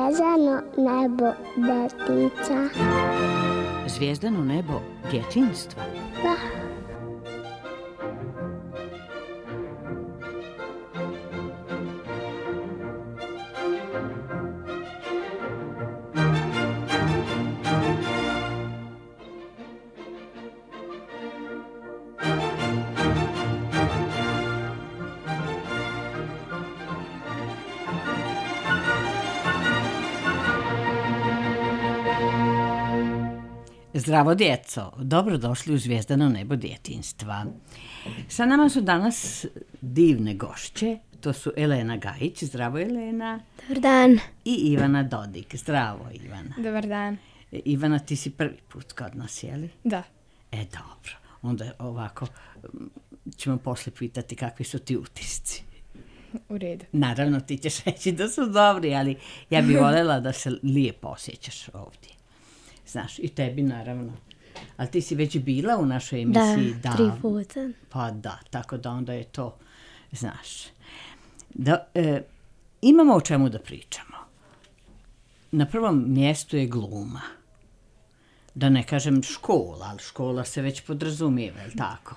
Zvezdano nebo detica. Zvijezdano nebo djetinjstva. Da. Zdravo djeco, dobrodošli u Zvijezdano nebo djetinjstva. Sa nama su danas divne gošće, to su Elena Gajić, zdravo Elena. Dobar dan. I Ivana Dodik, zdravo Ivana. Dobar dan. Ivana, ti si prvi put kod nas, jeli? Da. Dobro, onda ovako ćemo poslije pitati kakvi su ti utisci. U redu. Naravno ti ćeš reći da su dobri, ali ja bih voljela da se lijepo osjećaš ovdje. Znaš, i tebi naravno. Ali ti si već bila u našoj emisiji. Da, 3 puta. Pa da, tako da onda je to, znaš. Imamo o čemu da pričamo. Na prvom mjestu je gluma. Da ne kažem škola, ali škola se već podrazumijeva, je li tako?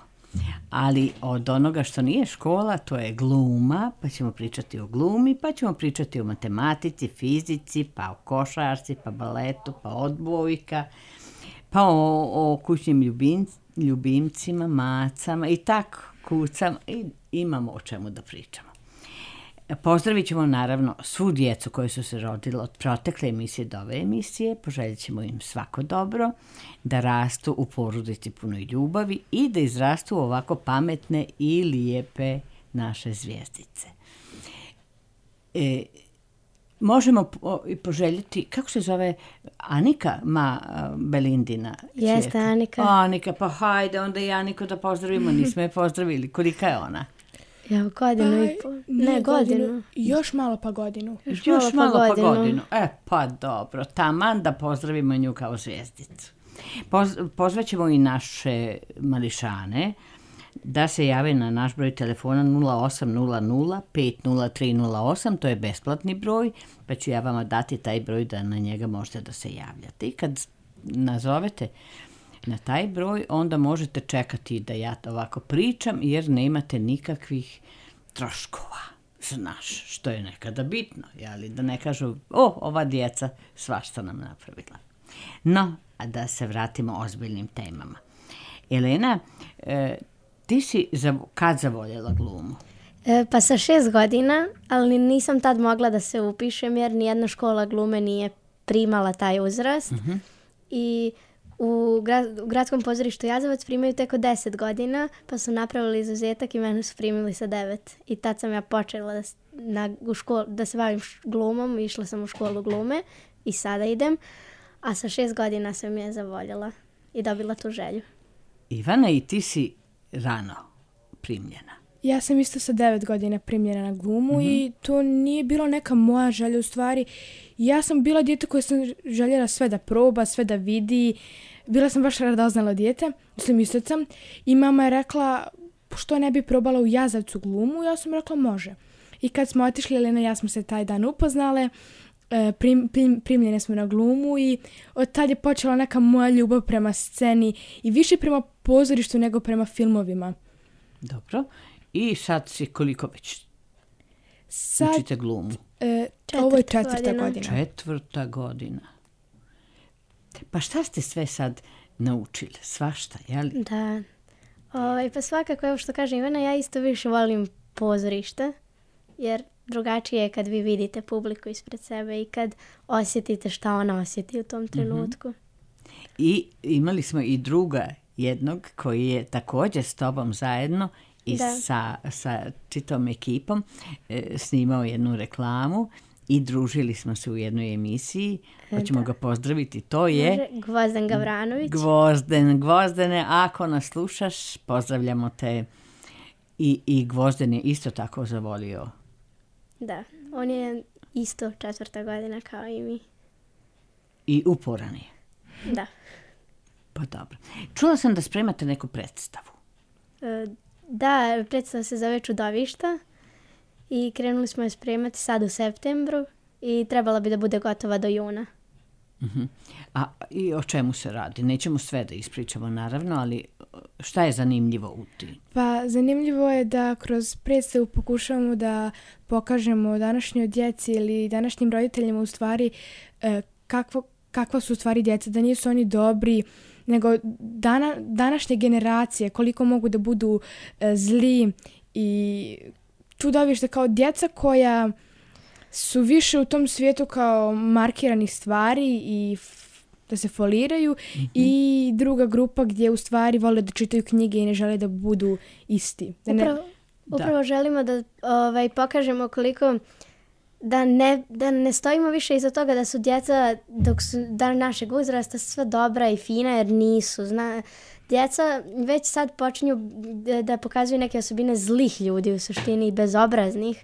Ali od onoga što nije škola, to je gluma, pa ćemo pričati o glumi, pa ćemo pričati o matematici, fizici, pa o košarci, pa baletu, pa odbojka, pa o kućnim ljubimcima, macama i tako, kucama, i imamo o čemu da pričamo. Pozdravit ćemo naravno svu djecu koji su se rodili od protekle emisije do ove emisije, poželjit ćemo im svako dobro, da rastu u porodici punoj ljubavi i da izrastu ovako pametne i lijepe naše zvijezdice. Možemo poželjeti, kako se zove, Anika, Belindina? Jeste, Anika. Anika, pa hajde, onda i Aniku da pozdravimo, nismo je pozdravili. Kolika je ona? Ja, godinu i pol. Ne, godinu. Još malo pa godinu. Još malo pa godinu. Pa dobro, taman da pozdravimo nju kao zvijezdicu. Pozvaćemo i naše mališane da se jave na naš broj telefona 0800 50308, to je besplatni broj, pa ću ja vama dati taj broj da na njega možete da se javljate. I kad nazovete na taj broj, onda možete čekati da ja ovako pričam, jer nemate nikakvih troškova. Znaš, što je nekada bitno, jeli? Da ne kažu, ova djeca svašta nam napravila. No, a da se vratimo ozbiljnim temama. Elena, ti si kad zavoljela glumu? Pa sa 6 godina, ali nisam tad mogla da se upišem, jer nijedna škola glume nije primala taj uzrast. Uh-huh. I u gradskom pozorištu Jazavac primaju tek od 10 godina, pa su napravili izuzetak i mene su primili sa 9. I tad sam ja počela da se bavim glumom, išla sam u školu glume i sada idem, a sa 6 godina sam je zavoljela i dobila tu želju. Ivana, i ti si rano primljena. Ja sam isto sa 9 godina primljena na glumu i to nije bilo neka moja želja u stvari. Ja sam bila dijete koje sam željela sve da proba, sve da vidi. Bila sam baš radoznala dijete, isto sam. I mama je rekla, što ne bi probala u Jazavcu glumu? Ja sam rekla, može. I kad smo otišli, Elena i ja smo se taj dan upoznale, primljene smo na glumu i od tad je počela neka moja ljubav prema sceni i više prema pozorištu nego prema filmovima. Dobro. I sad si koliko već učite glumu? Ovo je 4. godina. 4. godina. Pa šta ste sve sad naučili? Svašta, jel? Da. Pa svakako, evo što kaže Ivana, ja isto više volim pozorište, jer drugačije je kad vi vidite publiku ispred sebe i kad osjetite šta ona osjeti u tom trenutku. Mm-hmm. I imali smo i druga jednog koji je također s tobom zajedno i sa čitavom ekipom snimao jednu reklamu i družili smo se u jednoj emisiji. Hoćemo ga pozdraviti. To je Gvozden Gavranović. Gvozdene, ako nas slušaš, pozdravljamo te. I Gvozden je isto tako zavolio. Da, on je isto 4. godina kao i mi. I uporan je. Da. Pa dobro. Čula sam da spremate neku predstavu. Da, predstava se zove Čudovišta i krenuli smo je spremati sad u septembru i trebala bi da bude gotova do juna. A i o čemu se radi? Nećemo sve da ispričamo, naravno, ali šta je zanimljivo u tim? Pa zanimljivo je da kroz predstavu pokušavamo da pokažemo današnjoj djeci ili današnjim roditeljima u stvari kakva su u stvari djeca, da nisu oni dobri, nego današnje generacije, koliko mogu da budu zli i tu dobiješ da kao djeca koja su više u tom svijetu kao markiranih stvari i da se foliraju i druga grupa gdje u stvari vole da čitaju knjige i ne žele da budu isti. Upravo želimo da pokažemo koliko da ne stojimo više iza toga da su djeca dok su našeg uzrasta sve dobra i fina jer nisu. Djeca već sad počinju da pokazuju neke osobine zlih ljudi u suštini i bezobraznih.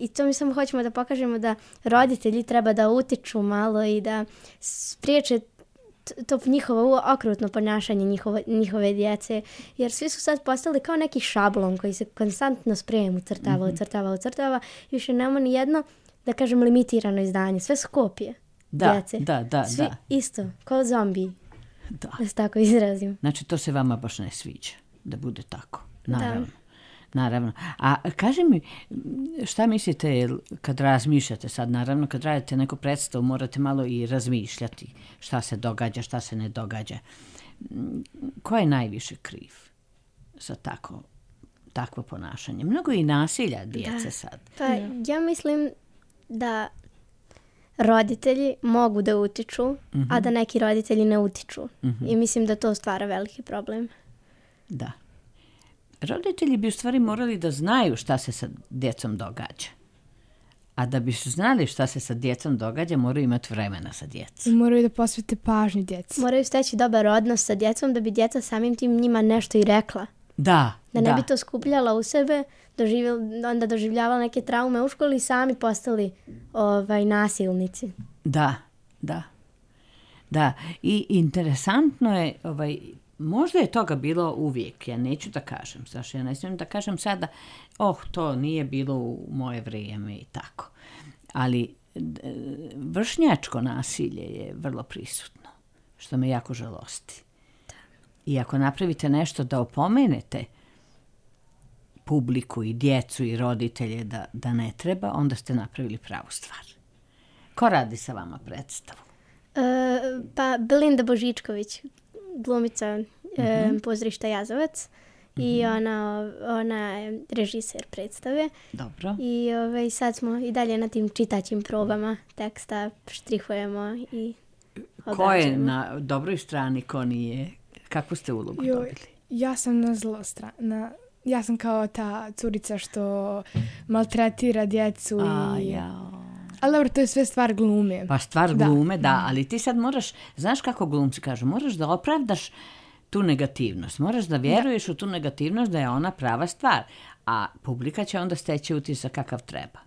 I to mi samo hoćemo da pokažemo da roditelji treba da utiču malo i da spriječe to njihovo okrutno ponašanje njihove djece. Jer svi su sad postali kao neki šablon koji se konstantno sprejem ucrtava. I više nema ni jedno, da kažem, limitirano izdanje. Sve su kopije djece. Svi isto, kao zombiji. Da se tako izrazim. Znači, to se vama baš ne sviđa, da bude tako. Naravno. A kaži mi, šta mislite kad razmišljate sad? Naravno, kad radite neku predstavu, morate malo i razmišljati šta se događa, šta se ne događa. Ko je najviše kriv za takvo ponašanje? Mnogo i nasilja djece sad. Pa ja mislim da roditelji mogu da utiču, a da neki roditelji ne utiču. I mislim da to stvara veliki problem. Da. Roditelji bi u stvari morali da znaju šta se sa djecom događa. A da bi su znali šta se sa djecom događa, moraju imati vremena sa djecom. I moraju da posvete pažnju djeci. Moraju steći dobar odnos sa djecom da bi djeca samim tim njima nešto i rekla. Da ne bi to skupljala u sebe, onda doživljavala neke traume u školi i sami postali nasilnici. Da. I interesantno je, možda je toga bilo uvijek, ja neću da kažem, ja ne smijem da kažem sada, to nije bilo u moje vrijeme i tako. Ali vršnjačko nasilje je vrlo prisutno, što me jako žalosti. I ako napravite nešto da opomenete publiku i djecu i roditelje da ne treba, onda ste napravili pravu stvar. Ko radi sa vama predstavu? Pa Belinda Božičković, glumica pozorišta Jazovac i ona je režiser predstave. Dobro. I sad smo i dalje na tim čitaćim probama teksta, štrihujemo i odrađujemo. Ko je na dobroj strani, ko nije? Kakvu ste ulogu dobili? Ja sam na zlo strana. Ja sam kao ta curica što maltretira djecu Ali dobro, to je sve stvar glume. Pa stvar glume, da, ali ti sad moraš, znaš kako glumci kažu, moraš da opravdaš tu negativnost, moraš da vjeruješ u tu negativnost da je ona prava stvar, a publika će onda steći utisak kakav treba.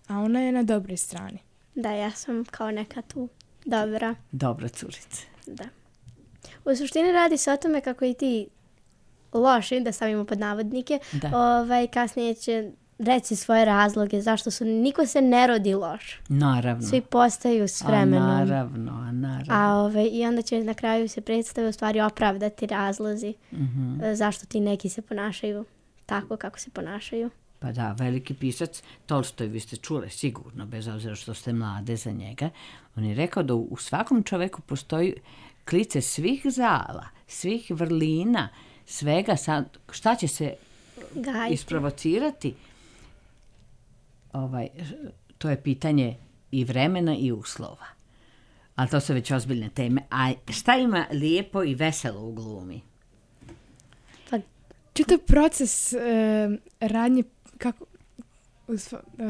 A ona je na dobroj strani. Da, ja sam kao neka tu dobra. Dobra curica. Da. U suštini radi se o tome kako i ti loši, da stavimo pod navodnike, kasnije će reći svoje razloge zašto niko se ne rodi loš. Naravno. Svi postaju s vremenom. Naravno. I onda će na kraju se predstave u stvari opravdati razlozi zašto ti neki se ponašaju tako kako se ponašaju. Pa da, veliki pisac Tolstoj, vi ste čuli sigurno, bez obzira što ste mlade za njega, on je rekao da u svakom čoveku postoji klice svih zala, svih vrlina, svega, šta će se isprovocirati, to je pitanje i vremena i uslova. Ali to su već ozbiljne teme. A šta ima lijepo i veselo u glumi? Pa, čitav proces radnje,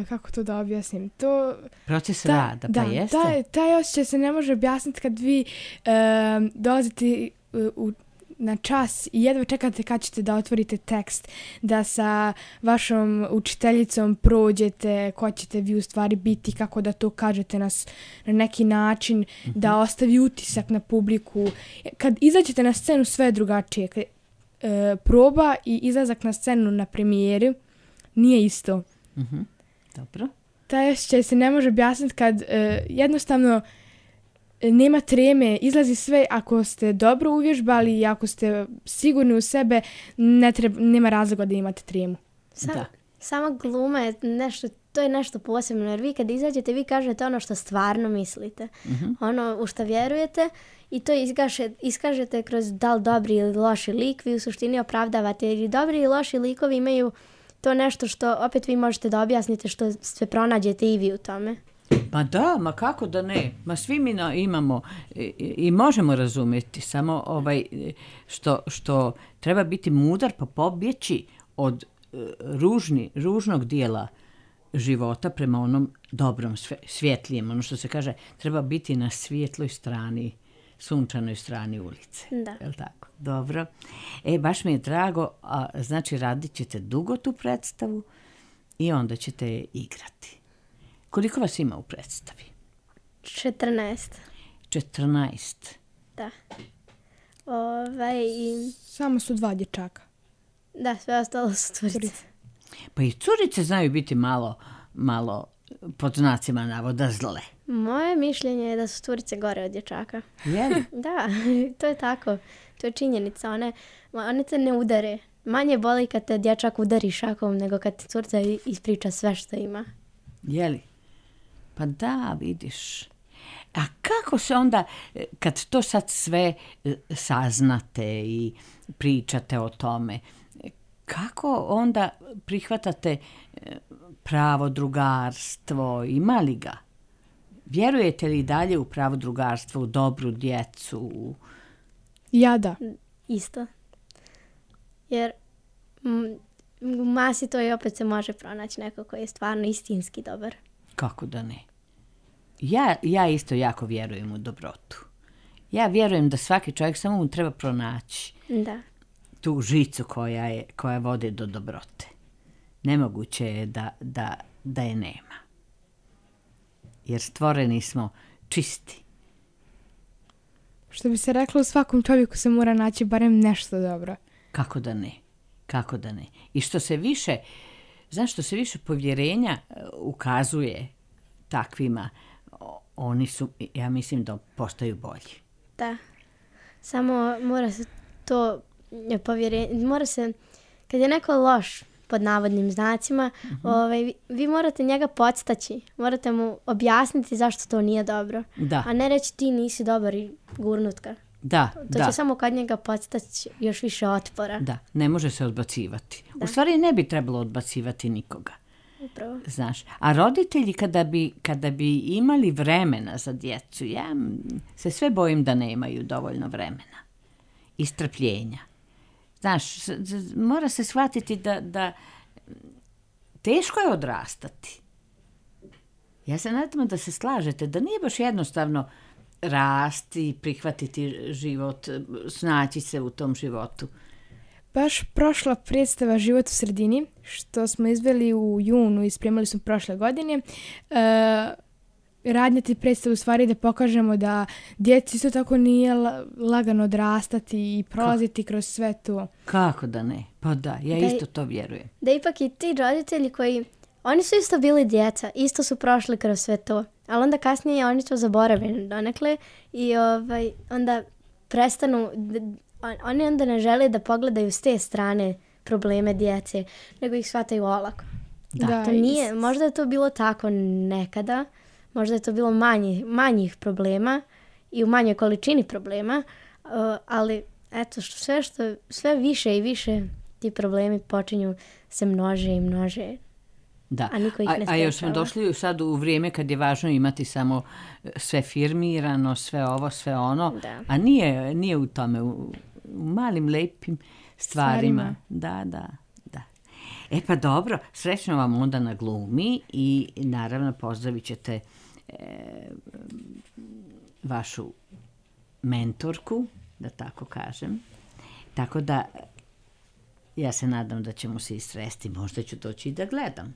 kako to da objasnim? Proces rada, pa jeste? Taj osjećaj se ne može objasniti kad vi dolazite na čas i jedva čekate kad ćete da otvorite tekst, da sa vašom učiteljicom prođete ko ćete vi u stvari biti, kako da to kažete na neki način, da ostavi utisak na publiku. Kad izađete na scenu sve je drugačije. Proba i izlazak na scenu na premijeri nije isto. Dobro. taj osjećaj se ne može objasniti kad jednostavno nema treme, izlazi sve ako ste dobro uvježbali i ako ste sigurni u sebe, nema razloga da imate tremu. Sama gluma je nešto, to je nešto posebno, jer vi kad izađete, vi kažete ono što stvarno mislite. Ono u što vjerujete i to iskažete kroz da li dobri ili loši lik, vi u suštini opravdavate, jer i dobri i loši likovi imaju to nešto što opet vi možete da objasnite, što sve pronađete i vi u tome. Ma da, ma kako da ne? Ma svi mi imamo i možemo razumjeti, samo što treba biti mudar pa pobjeći od ružnog dijela života prema onom dobrom, svjetlijem. Ono što se kaže, treba biti na svjetloj strani, sunčanoj strani ulice. Da. Je li tako? Dobro. Baš mi je drago, znači radit ćete dugo tu predstavu i onda ćete je igrati. Koliko vas ima u predstavi? 14. 14. Da. Samo su 2 dječaka. Da, sve ostalo su curice. Pa i curice znaju biti malo pod znacima navoda zle. Moje mišljenje je da su curice gore od dječaka. Je li? Da, to je tako. To je činjenica. One te ne udare. Manje boli kad te dječak udari šakom nego kad ti curica ispriča sve što ima. Je li? Pa da, vidiš. A kako se onda, kad to sad sve saznate i pričate o tome, kako onda prihvatate pravo drugarstvo, ima li ga? Vjerujete li dalje u pravo drugarstvo, u dobru djecu? Ja da. Isto. Jer u masi to i opet se može pronaći neko koji je stvarno istinski dobar. Kako da ne? Ja isto jako vjerujem u dobrotu. Ja vjerujem da svaki čovjek samo mu treba pronaći tu žicu koja vodi do dobrote. Nemoguće je da je nema. Jer stvoreni smo čisti. Što bi se reklo, u svakom čovjeku se mora naći barem nešto dobro. Kako da ne? Kako da ne? I što se više povjerenja ukazuje takvima, oni su, ja mislim da postaju bolji. Da. Samo mora se to povjerenje, kad je neko loš, pod navodnim znacima, vi morate njega podstaći. Morate mu objasniti zašto to nije dobro. Da. A ne reći ti nisi dobar i gurnut ga. Da, to će samo kod njega podstaći još više otpora. Da, ne može se odbacivati. Da. U stvari ne bi trebalo odbacivati nikoga. Upravo. Znaš, a roditelji kada bi imali vremena za djecu, ja se sve bojim da nemaju dovoljno vremena i strpljenja. Znaš, mora se shvatiti da teško je odrastati. Ja se nadam da se slažete, da nije baš jednostavno rasti, prihvatiti život, snaći se u tom životu. Baš prošla predstava Život u sredini, što smo izveli u junu i spremali smo prošle godine, radnjati predstavu u stvari da pokažemo da djeci isto tako nije lagano odrastati i prolaziti kroz sve to. Kako da ne? Pa da, isto to vjerujem. Da ipak i ti roditelji koji, oni su isto bili djeca, isto su prošli kroz sve to, ali onda kasnije oni to zaboravili donekle i onda prestanu, oni onda ne žele da pogledaju s te strane probleme djece, nego ih shvataju olako. Da, to nije, možda je to bilo tako nekada, možda je to bilo manjih problema i u manjoj količini problema, ali eto, sve više i više ti problemi počinju se množe i množe. Da, a niko ih ne sprečava. A još smo došli sad u vrijeme kad je važno imati samo sve firmirano, sve ovo, sve ono, da. A nije u tome, u malim lepim stvarima. Da. Pa dobro, srećno vam onda na glumi i naravno pozdravit ćete vašu mentorku, da tako kažem. Tako da ja se nadam da ćemo se istresti, možda ću doći i da gledam.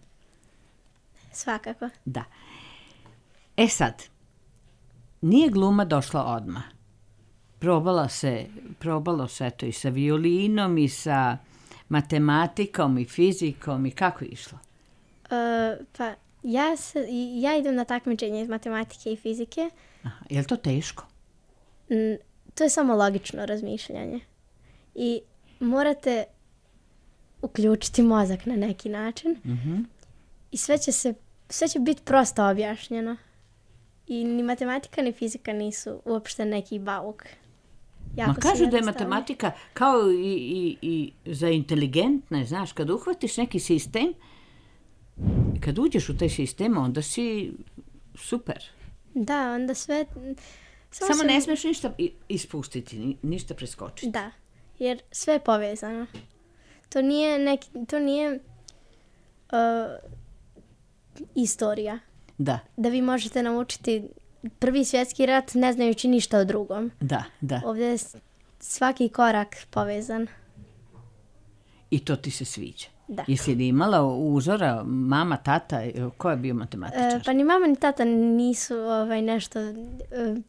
Svakako. Da. Sad, nije gluma došla odmah. Probalo se to i sa violinom i sa matematikom i fizikom i kako je išlo? Ja idem na takmičenje iz matematike i fizike. Aha, je li to teško? To je samo logično razmišljanje. I morate uključiti mozak na neki način. I sve će biti prosto objašnjeno. I ni matematika ni fizika nisu uopšte neki bauk. Ma kažu da je matematika kao i za inteligentne, znaš, kad uhvatiš neki sistem, kad uđeš u taj sistem, onda si super. Da, onda sve... Samo ne smiješ ništa ispustiti, ništa preskočiti. Da, jer sve je povezano. To nije istorija. Da. Da vi možete naučiti Prvi svjetski rat ne znajući ništa o drugom. Da. Ovdje je svaki korak povezan. I to ti se sviđa? Da. Jesi li imala uzora, mama, tata, ko je bio matematičar? Pa ni mama ni tata nisu nešto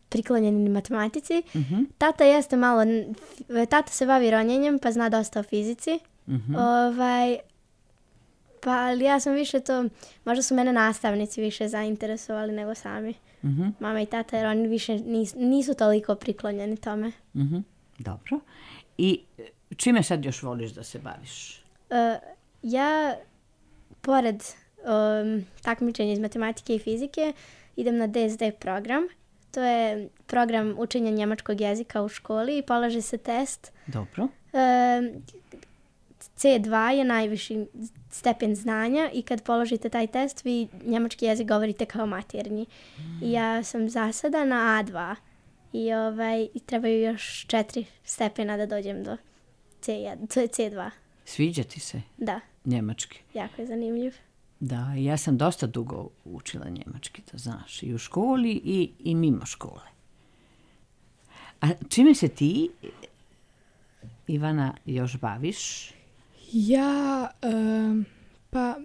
priklonjeni matematici. Tata jeste malo, tata se bavi ronjenjem pa zna dosta o fizici. Pa ali ja sam više to, možda su mene nastavnici više zainteresovali nego sami. Mama i tata, jer oni više nisu toliko priklonjeni tome. Dobro. I čime sad još voliš da se baviš? Ja, pored takmičenja iz matematike i fizike, idem na DSD program. To je program učenja njemačkog jezika u školi i polaže se test. Dobro. C2 je najviši stepen znanja i kad položite taj test, vi njemački jezik govorite kao maternji. I ja sam za sada na A2 i trebaju još 4 stepena da dođem do C1. To je C2. Sviđa ti se? Da. Njemački? Jako je zanimljiv. Da, ja sam dosta dugo učila njemački, to znaš, i u školi i mimo škole. A čime se ti, Ivana, još baviš? Ja, pa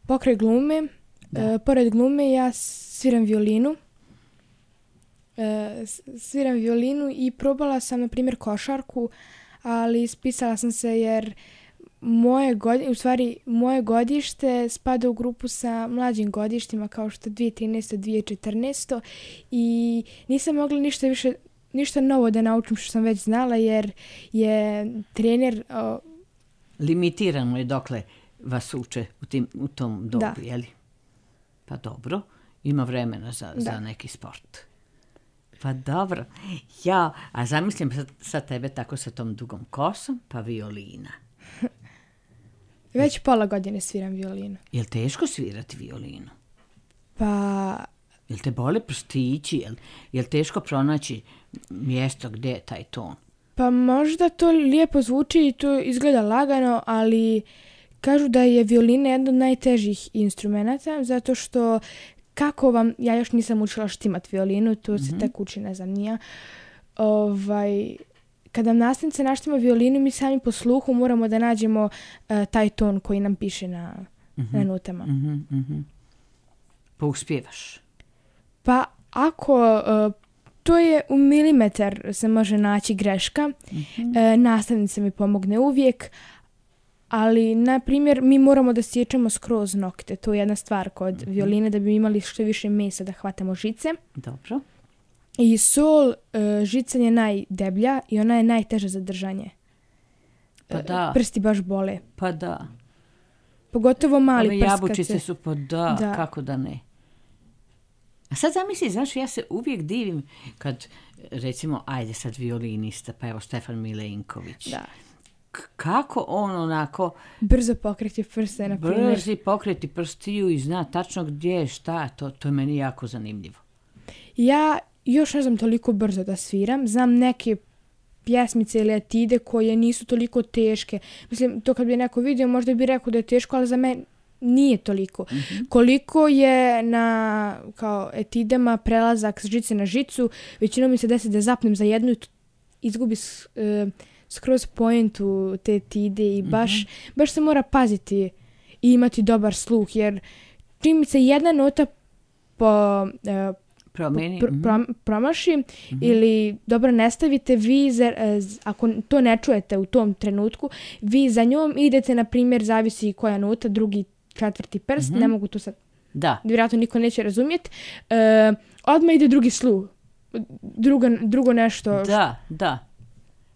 pokraj glume, pored glume ja sviram violinu. Sviram violinu i probala sam, na primjer, košarku, ali ispisala sam se jer moje godište spada u grupu sa mlađim godištima kao što 2013. 2014. I nisam mogla ništa novo da naučim što sam već znala jer je trener... Limitirano je dokle vas uče u tom dobu, jeli? Pa dobro, ima vremena za neki sport. Pa dobro. Ja, a zamislim sad tebe tako sa tom dugom kosom, pa violina. Već pola godine sviram violinu. Je li teško svirati violinu? Pa... Je li te bole prstići? Je li teško pronaći mjesto gdje je taj ton? Pa možda to lijepo zvuči i to izgleda lagano, ali kažu da je violina jedan od najtežih instrumenata, zato što ja još nisam učila štimat violinu, to se tek uči, ne znam, nija. Kada nastavnica naštima violinu, mi sami po sluhu moramo da nađemo taj ton koji nam piše na notama. Pa uspjevaš? Pa ako... To je u milimetar se može naći greška. Nastavnica mi pomogne uvijek, ali, na primjer, mi moramo da sjećamo skroz nokte. To je jedna stvar kod violine, da bi imali što više mesa da hvatamo žice. Dobro. I sol žica je najdeblja i ona je najteža za držanje. Pa da. Prsti baš bole. Pa da. Pogotovo mali prst. Jabučice su kako da ne. A sad zamisli, znaš, ja se uvijek divim kad, recimo, ajde sad violinista, pa evo Stefan Milenković. Da. Kako on onako... Brzo pokreti prste, na primjer. Brzi pokreti prstiju i zna tačno gdje je šta, to je meni jako zanimljivo. Ja još ne znam toliko brzo da sviram, znam neke pjesmice ili etide koje nisu toliko teške. Mislim, to kad bi neko vidio, možda bi rekao da je teško, ali za mene nije toliko. Koliko je na kao etidama prelazak s žice na žicu, većinom mi se desi da zapnem za jednu i izgubi skroz pointu te etide i baš se mora paziti i imati dobar sluh, jer čim se jedna nota promaši ili dobro ne stavite, vi ako to ne čujete u tom trenutku, vi za njom idete, na primjer, zavisi koja nota, drugi, četvrti prst, ne mogu to sad Da. Vjerojatno niko neće razumjeti. Odmah ide drugi sluh. Drugo nešto. Da.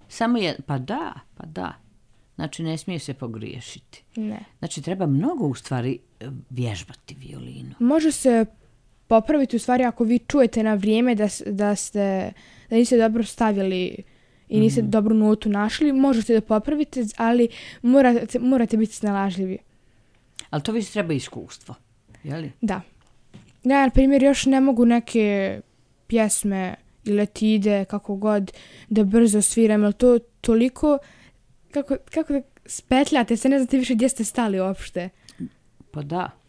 Samo pa da. Znači, ne smije se pogriješiti. Ne. Znači, treba mnogo u stvari vježbati violinu. Može se popraviti u stvari ako vi čujete na vrijeme da niste dobro stavili i niste dobru notu našli, možete da popravite, ali morate biti snalažljivi. Ali to već treba iskustvo, je li? Da. Ja, na primjer, još ne mogu neke pjesme ili etide, kako god, da brzo sviram, jer to toliko, kako da spetljate se, ne znate više gdje ste stali uopšte.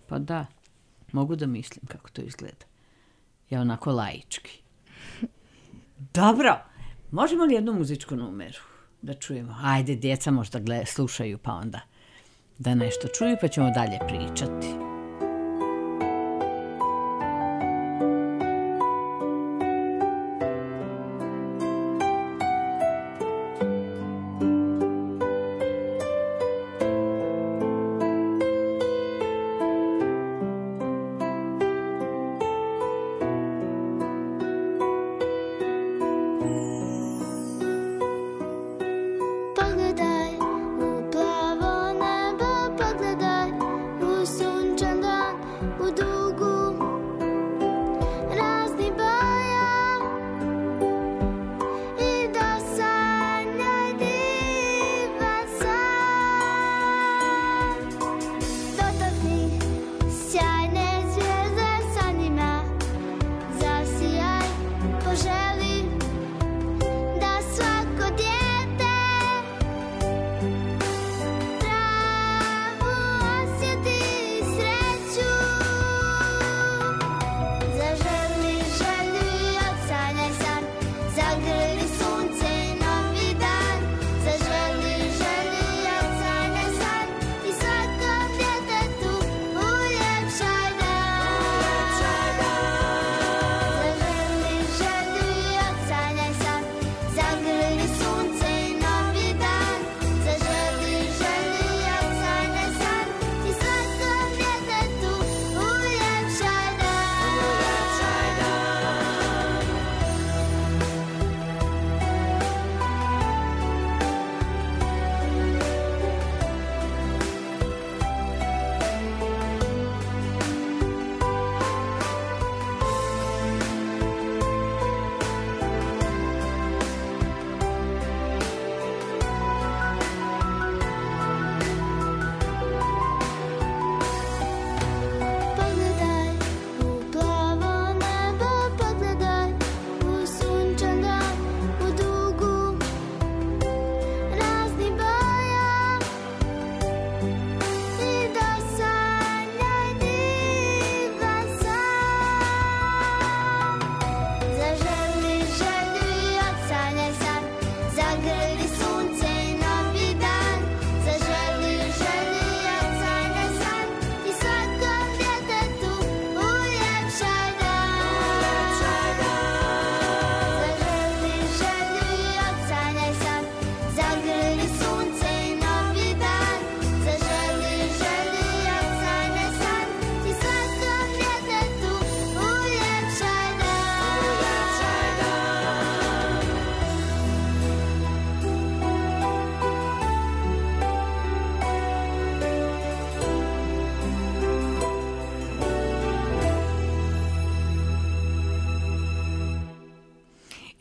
Pa da. Mogu da mislim kako to izgleda. Ja onako laički. Dobro, možemo li jednu muzičku numeru da čujemo? Ajde, djeca možda slušaju pa onda da nešto čuju pa ćemo dalje pričati.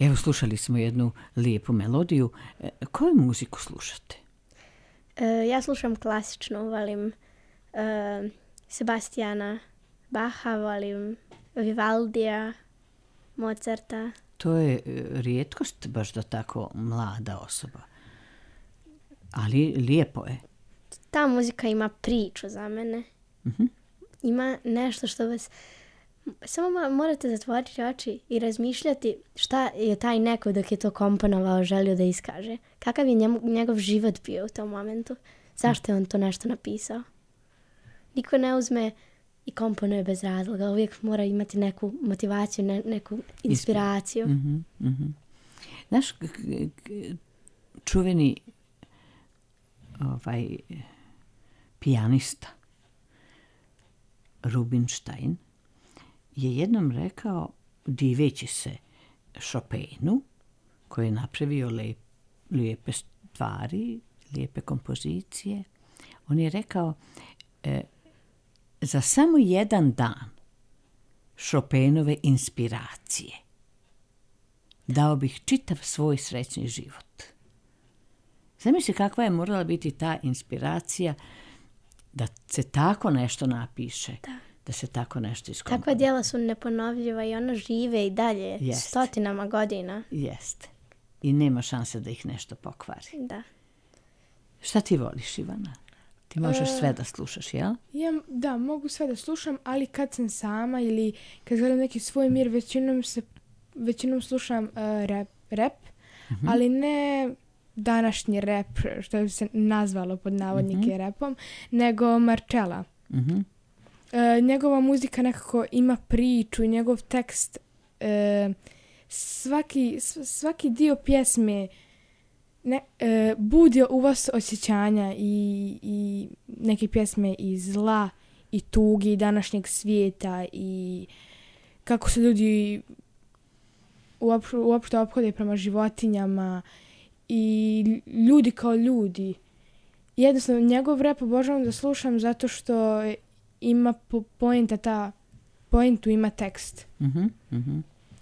Evo, slušali smo jednu lijepu melodiju. Koju muziku slušate? Ja slušam klasičnu, volim Sebastiana Bacha, volim Vivaldija, Mozarta. To je rijetkost baš da tako mlada osoba. Ali lijepo je. Ta muzika ima priču za mene. Ima nešto što vas... Samo morate zatvoriti oči i razmišljati šta je taj neko dok je to komponovao želio da iskaže. Kakav je njegov život bio u tom momentu. Zašto je on to nešto napisao. Niko ne uzme i komponuje bez razloga. Uvijek mora imati neku motivaciju, neku inspiraciju. Znaš, čuveni pijanista Rubinstein je jednom rekao, diveći se Chopinu, koji je napravio lijepe stvari, lijepe kompozicije, on je rekao, za samo jedan dan Chopinove inspiracije dao bih čitav svoj srećni život. Zamisli kakva je morala biti ta inspiracija da se tako nešto napiše, da se tako nešto iskomponuje. Takva djela su neponovljiva i ona žive i dalje stotinama godina. Jeste. I nema šanse da ih nešto pokvari. Da. Šta ti voliš, Ivana? Ti možeš sve da slušaš, jel? Da, mogu sve da slušam, ali kad sam sama ili kad želim neki svoj mir, većinom slušam rap, ali ne današnji rap, što bi se nazvalo pod navodnike rapom, nego Marcella. Njegova muzika nekako ima priču i njegov tekst, svaki dio pjesme budi u vas osjećanja i neke pjesme i zla i tugi današnjeg svijeta i kako se ljudi uopšte ophode prema životinjama i ljudi kao ljudi. Jednostavno, njegov rap obožavam da slušam zato što ima pointu ima tekst.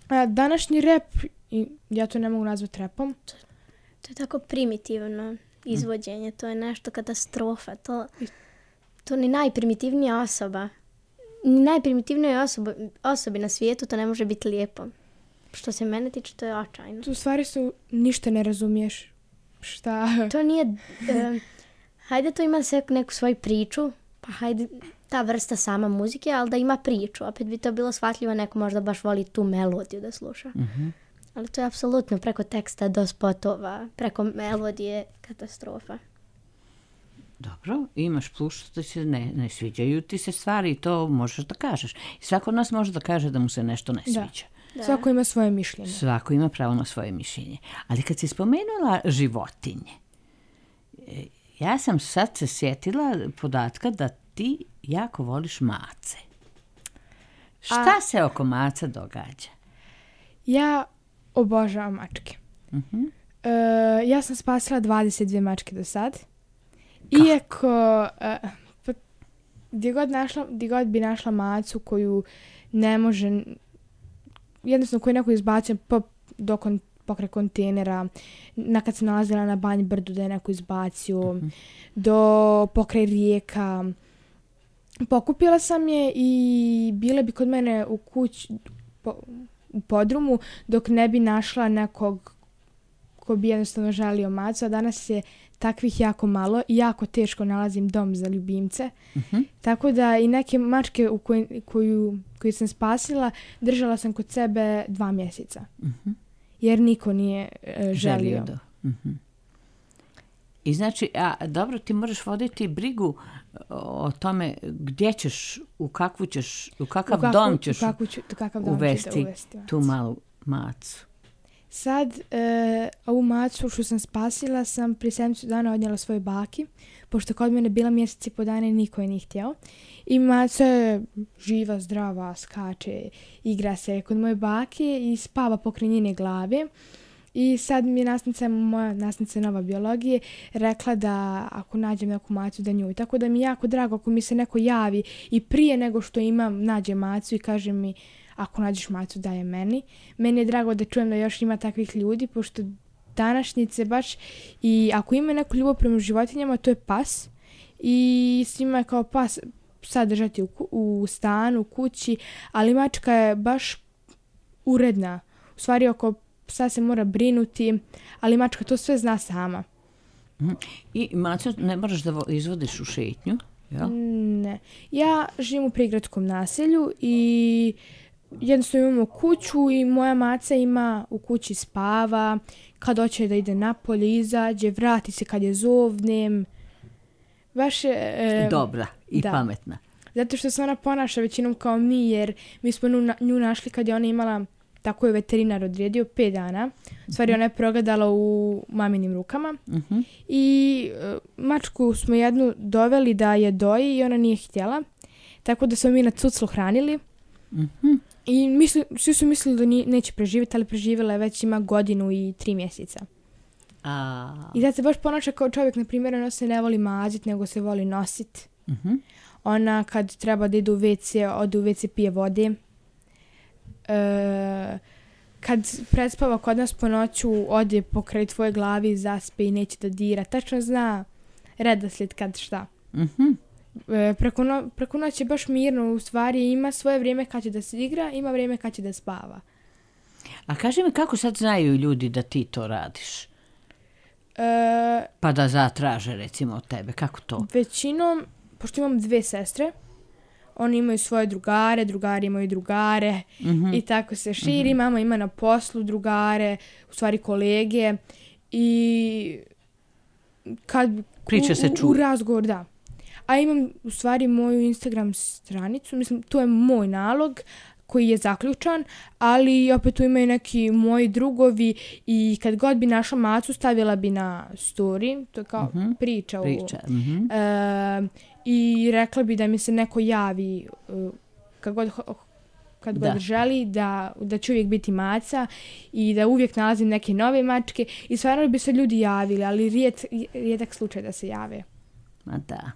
A današnji rap, ja to ne mogu nazvati rapom. To je tako primitivno izvođenje, to je nešto katastrofa. To ni najprimitivnija osoba, ni najprimitivnijoj osobi na svijetu to ne može biti lijepo. Što se mene tiče, to je očajno. Tu stvari ništa ne razumiješ. Šta? To nije... hajde to ima sve neku svoju priču, pa hajde ta vrsta sama muzike, ali da ima priču. Opet bi to bilo shvatljivo, neko možda baš voli tu melodiju da sluša. Ali to je apsolutno preko teksta do spotova, preko melodije katastrofa. Dobro, imaš plus da se ne sviđaju ti se stvari i to možeš da kažeš. I svako od nas može da kaže da mu se nešto ne sviđa. Da. Svako ima svoje mišljenje. Svako ima pravo na svoje mišljenje. Ali kad si spomenula životinje, ja sam sad se sjetila podatka da ti jako voliš mace. Šta se oko maca događa? Ja obožavam mačke. Ja sam spasila 22 mačke do sad. Iako gdje god bi našla macu koju ne može, jednostavno koju neko izbacio pokraj kontejnera, kad sam nalazila na Banji brdu da je neko izbacio, do pokraj rijeka. Pokupila sam je i bila bi kod mene u kući, u podrumu, dok ne bi našla nekog ko bi jednostavno želio macu, a danas je takvih jako malo i jako teško nalazim dom za ljubimce. Tako da i neke mačke koju sam spasila, držala sam kod sebe 2 mjeseca. Jer niko nije želio. I znači, dobro, ti moraš voditi brigu o tome gdje ćeš, u kakav dom ćeš uvesti tu malu macu. Sad, ovu macu što sam spasila sam prije 7 dana odnijela svojoj baki, pošto kod mene bila mjesec i po dana i niko je nije htjeo. I maca je živa, zdrava, skače, igra se kod moje bake i spava pokraj njene glave. I sad mi je moja nastavnica nova biologije rekla da ako nađem neku macu da nju. Tako da mi je jako drago ako mi se neko javi i prije nego što nađe macu i kaže mi ako nađeš macu daj je meni. Meni je drago da čujem da još ima takvih ljudi, pošto današnjice baš i ako ima neku ljubav prema životinjama, to je pas. I svima je kao pas sad držati u stanu, u kući, ali mačka je baš uredna. U stvari oko psa se mora brinuti, ali mačka to sve zna sama. I macu ne moraš da izvodiš u šetnju? Ja? Ne. Ja živim u prigradskom naselju i jednostavno imamo kuću i moja maca ima u kući spava, kad hoće da ide napolje, izađe, vrati se kad je zovnem. Baš dobra i pametna. Zato što se ona ponaša većinom kao mi, jer mi smo nju našli kad je ona imala, tako je veterinar odredio, 5 dana. U stvari ona je progledala u maminim rukama. I mačku smo jednu doveli da je doji i ona nije htjela. tako da smo mi na cuclu hranili. I svi su mislili da neće preživjeti, ali preživjela je, već ima 1 godinu i 3 mjeseca. I da se baš ponaša kao čovjek, na primjer, ona se ne voli maziti, nego se voli nositi. Ona kad treba da ide u WC, ode u WC, pije vode. Kad prespava kod nas po noću, ode pokraj tvoje glavi, zaspe i neće da dira. Tačno zna redoslijed kad šta. Preko noći je baš mirno, u stvari ima svoje vrijeme kad će da se igra, ima vrijeme kad će da spava. A kaži mi, kako sad znaju ljudi da ti to radiš? Pa da zatraže, recimo, od tebe, kako to? Većinom, pošto imam 2 sestre, oni imaju svoje drugare, drugari imaju drugare i tako se širi. Mama ima na poslu drugare, u stvari kolege, i kad priča se čuje. U razgovor, da. A imam u stvari moju Instagram stranicu, mislim, to je moj nalog koji je zaključan, ali opet tu imaju neki moji drugovi i kad god bi našla macu, stavila bi na story, to je kao priča. I rekla bi da mi se neko javi kad god želi, da će uvijek biti maca i da uvijek nalazim neke nove mačke i stvarno bi se ljudi javili, ali rijedak slučaj da se jave. Ma da.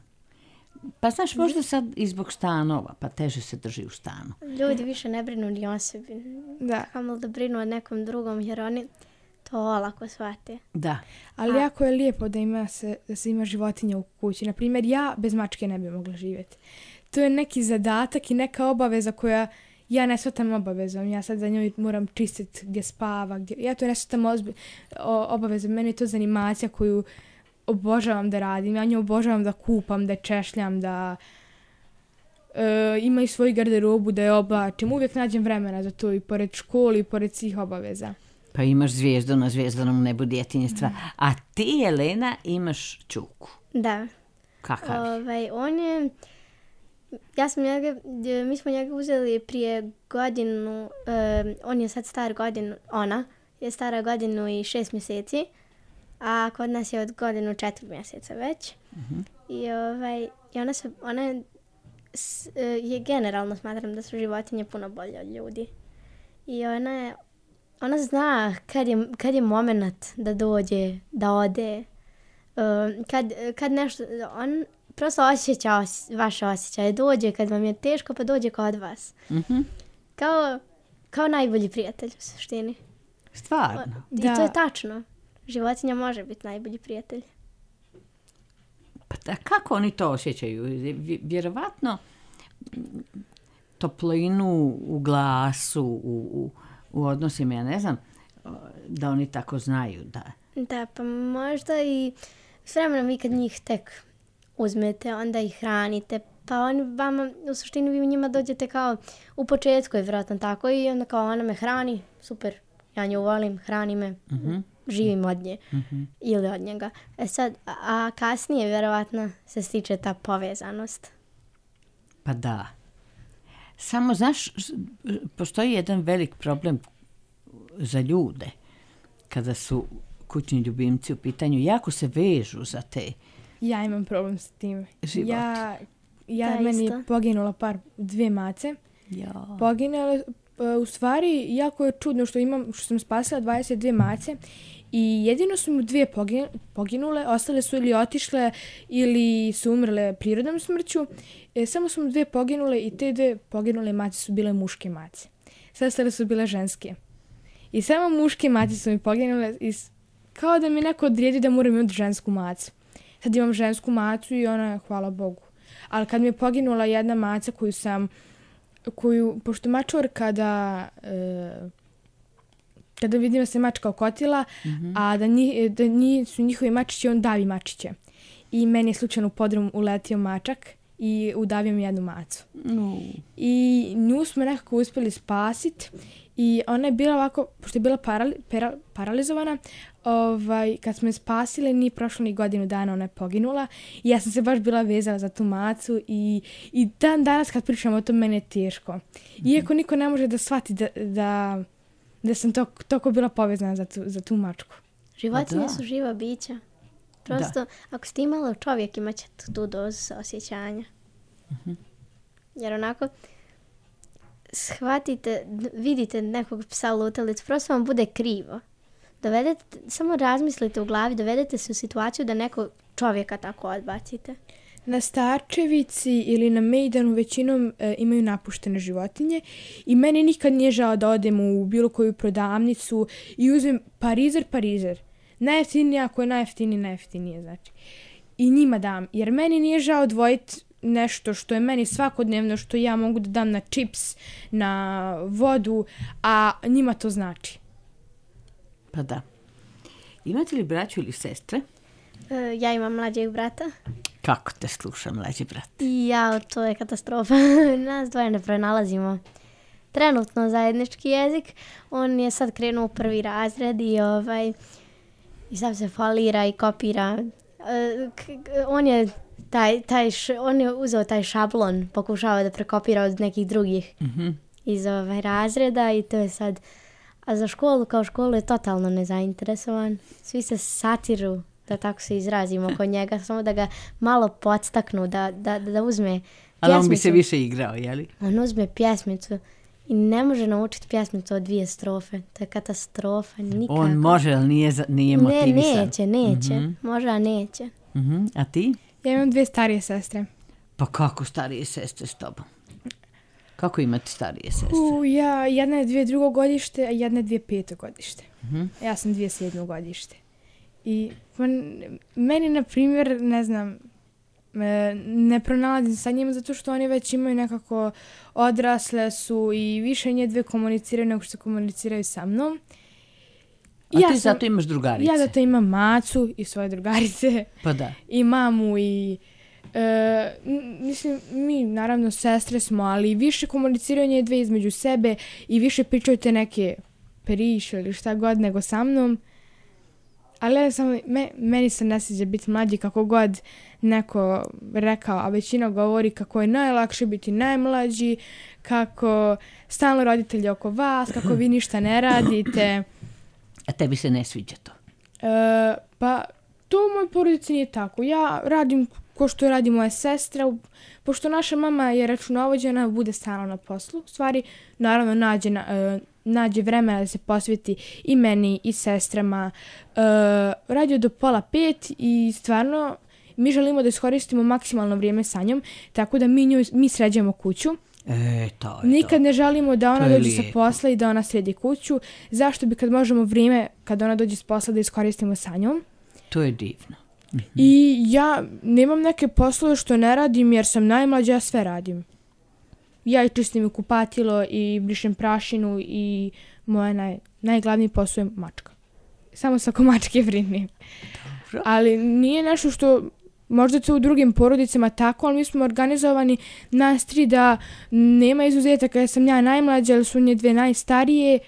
Pa znaš, možda sad i zbog stanova, pa teže se drži u stanu. Ljudi više ne brinu ni o sebi. Da. Kamo da brinu o nekom drugom, jer oni to olako shvate. Da. Ali jako je lijepo da se ima životinja u kući. Naprimjer, ja bez mačke ne bi mogla živjeti. To je neki zadatak i neka obaveza koja ja ne shvatam obavezom. Ja sad za njoj moram čistiti gdje spava. Ja to ne shvatam obavezom. Meni je to zanimacija koju obožavam da radim. Ja nju obožavam da kupam, da češljam, da ima i svoju garderobu, da je oblačim. Uvijek nađem vremena za to i pored škole i pored svih obaveza. Pa imaš zvijezdu na zvjezdanom nebu djetinjstva. A ti, Jelena, imaš Čuku. Da. Kakav? On je... mi smo njega uzeli prije godinu, on je sad star godinu, ona je stara 1 godinu i 6 mjeseci, a kod nas je od 1 godinu i 4 mjeseca već. I ona je generalno smatram da su životinje puno bolje od ljudi. I ona zna kad je moment da dođe, da ode, kad nešto, on prosto osjeća vaše osjećaje, dođe kad vam je teško, pa dođe kod vas. Kao najbolji prijatelj u suštini. Stvarno? I to je tačno. Životinja može biti najbolji prijatelj. Pa kako oni to osjećaju? Vjerovatno toplinu u glasu, u odnosima, ja ne znam, da oni tako znaju. Da, pa možda i s vremenom vi kad njih tek uzmete, onda ih hranite, pa oni vama, u suštini vi njima dođete kao u početku je vjerojatno tako i onda kao ona me hrani, super, ja nju volim, hrani me, živim od nje ili od njega. Sad, a kasnije vjerovatno se stiče ta povezanost. Pa da. Samo, znaš, postoji jedan velik problem za ljude kada su kućni ljubimci u pitanju. Jako se vežu za te. Ja imam problem s tim. Život. Meni je poginula 2 mace. Ja. Poginule, u stvari, jako je čudno što sam spasila 22 mace i jedino su mu 2 poginule, ostale su ili otišle ili su umrle prirodnom smrću. Samo su mu 2 poginule i te 2 poginule mace su bile muške mace. Sve ostale su bile ženske. I samo muške mace su mi poginule i kao da mi neko odredi da moram imati žensku macu. Sad imam žensku macu i ona je, hvala Bogu. Ali kad mi je poginula jedna maca pošto mačor kada vidim da se mačka okotila, a da su njihovi mačići, on davi mačiće. I meni je slučajno u podrum uletio mačak i udavio mi jednu macu. I nju smo nekako uspjeli spasiti i ona je bila ovako, pošto je bila paralizovana, kad smo je spasili, nije prošlo ni 1 godinu dana, ona je poginula i ja sam se baš bila vezala za tu macu i dan danas kad pričam o tom, meni je teško. Iako niko ne može da shvati da sam toliko bila povezana za tu mačku. Životinje su živa bića. Prosto, ako ste imali čovjek, imat ćete tu dozu osjećanja. Jer onako shvatite, vidite nekog psa lutalicu, prosto vam bude krivo. Samo razmislite u glavi, dovedete se u situaciju da nekog čovjeka tako odbacite. Na Starčevici ili na Mejdanu većinom imaju napuštene životinje i meni nikad nije žao da odem u bilo koju prodavnicu i uzmem parizer. Najjeftinije, ako je najjeftinije, znači. I njima dam, jer meni nije žao odvojiti nešto što je meni svakodnevno, što ja mogu da dam na čips, na vodu, a njima to znači. Pa da. Imate li braću ili sestre? Ja imam mlađeg brata. Kako te sluša mlađi brat? To je katastrofa. Nas dvoje ne pronalazimo trenutno zajednički jezik. On je sad krenuo u 1. razred i sad se folira i kopira. On je uzeo taj šablon, pokušava da prekopira od nekih drugih iz razreda i to je sad. A za školu, kao školu, je totalno nezainteresovan. Svi se satiru, da tako se izrazimo, oko njega, samo da ga malo podstaknu, da uzme pjesmicu. Ali on bi se više igrao, jeli? On uzme pjesmicu i ne može naučiti pjesmicu od 2 strofe. To je katastrofa, nikako. On može, ali nije motivisan. Neće. Može, a neće. A ti? Ja imam 2 starije sestre. Pa kako starije sestre s tobom? Kako imate starije sestre? Jedna je 2002. godište, a jedna je 2005. godište. Ja sam 2007. godište. I meni, na primjer, ne znam, ne pronalazim sa njima zato što oni već imaju nekako odrasle su i više nje 2 komuniciraju nego što komuniciraju sa mnom. Ti zato imaš drugarice? Ja zato imam Macu i svoje drugarice. Pa da. I mamu i... mislim, mi naravno sestre smo, ali više komuniciraju nje 2 između sebe i više pričaju te neke priče ili šta god nego sa mnom. Ali meni se ne sviđa biti mlađi, kako god neko rekao, a većina govori kako je najlakše biti najmlađi, kako stalno roditelji oko vas, kako vi ništa ne radite. A tebi se ne sviđa to? Pa to u mojoj porodici nije tako. Ja radim ko što radi moja sestra, pošto naša mama je računovođena, bude stalno na poslu. U stvari, naravno, nađe vremena da se posveti i meni i sestrama. Radio do 4:30 i stvarno mi želimo da iskoristimo maksimalno vrijeme sa njom, tako da mi sređujemo kuću. Nikad ne želimo da ona dođe sa posla i da ona sredi kuću. Zašto bi kad možemo vrijeme kad ona dođe s posla da iskoristimo sa njom? To je divno. I ja nemam neke poslove što ne radim jer sam najmlađa, ja sve radim. Ja i čistim kupatilo i brišem prašinu i moja najglavniji posao je mačka. Samo sa oko mačke brinem. Ali nije nešto što možda to u drugim porodicama tako, ali mi smo organizovani nas 3 da nema izuzetaka jer sam ja najmlađa, ali su nje 2 najstarije.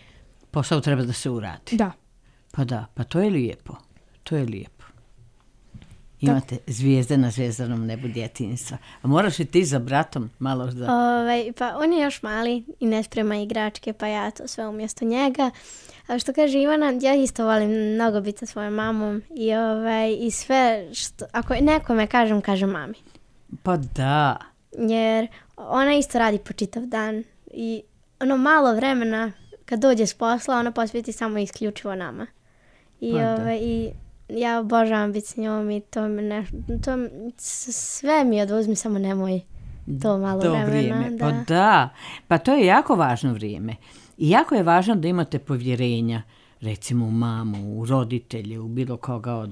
Posao treba da se uradi. Da. Pa da, pa to je lijepo. To je lijepo. Imate zvijezde na zvezdanom nebu djetinjstva. A moraš i ti za bratom malo da... Pa on je još mali i ne sprema igračke, pa ja to sve umjesto njega. A što kaže Ivana, ja isto volim mnogo biti sa svojom mamom i sve što... Ako nekome kažem mami. Pa da. Jer ona isto radi po čitav dan i ono malo vremena kad dođe s posla, ona posveti samo isključivo nama. I ja obožavam biti s njom i sve mi oduzmi, samo nemoj to malo vremena. Da. Pa da, pa to je jako važno vrijeme. I jako je važno da imate povjerenja, recimo u mamu, u roditelje, u bilo koga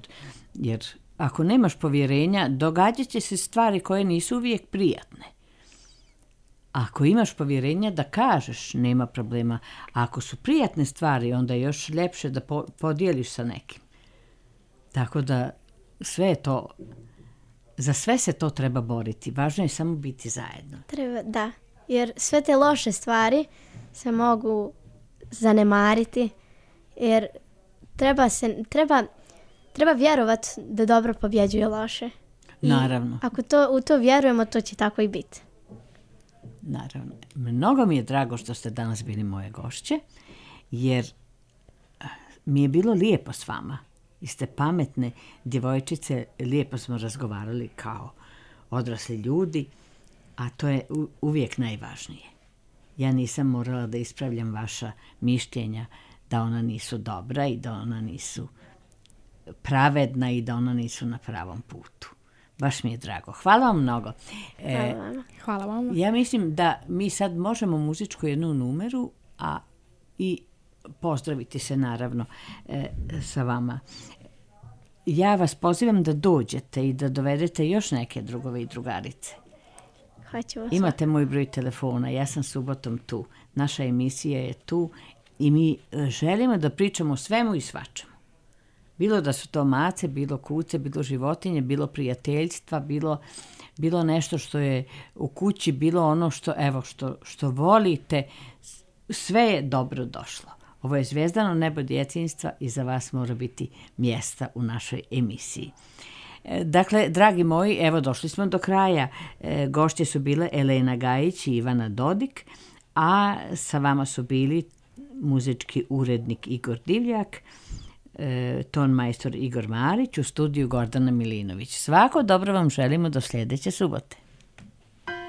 jer ako nemaš povjerenja, događat će se stvari koje nisu uvijek prijatne. Ako imaš povjerenja da kažeš, nema problema. A ako su prijatne stvari, onda je još ljepše da podijeliš sa nekim. Tako da sve je to, za sve se to treba boriti. Važno je samo biti zajedno. Da, jer sve te loše stvari se mogu zanemariti, jer treba vjerovati da dobro pobjeđuje loše. Naravno. I ako u to vjerujemo, to će tako i biti. Naravno. Mnogo mi je drago što ste danas bili moje gošće, jer mi je bilo lijepo s vama. I ste pametne djevojčice, lijepo smo razgovarali kao odrasli ljudi a to je uvijek najvažnije. Ja nisam morala da ispravljam vaša mišljenja da ona nisu dobra i da ona nisu pravedna i da ona nisu na pravom putu. Baš mi je drago. Hvala vam mnogo. Hvala vam. Ja mislim da mi sad možemo muzičku jednu numeru, a i pozdraviti se naravno sa vama. Ja vas pozivam da dođete i da dovedete još neke drugove i drugarice. Imate moj broj telefona, ja sam subotom tu. Naša emisija je tu i mi želimo da pričamo o svemu i svačemu. Bilo da su to mace, bilo kuce, bilo životinje, bilo prijateljstva, bilo nešto što je u kući, bilo ono što volite, sve je dobro došlo. Ovo je Zvezdano nebo djetinjstva i za vas mora biti mjesta u našoj emisiji. Dakle, dragi moji, evo došli smo do kraja. Gošće su bile Elena Gajić i Ivana Dodik, a sa vama su bili muzički urednik Igor Divljak, ton majstor Igor Marić, u studiju Gordana Milinović. Svako dobro vam želimo do sljedeće subote.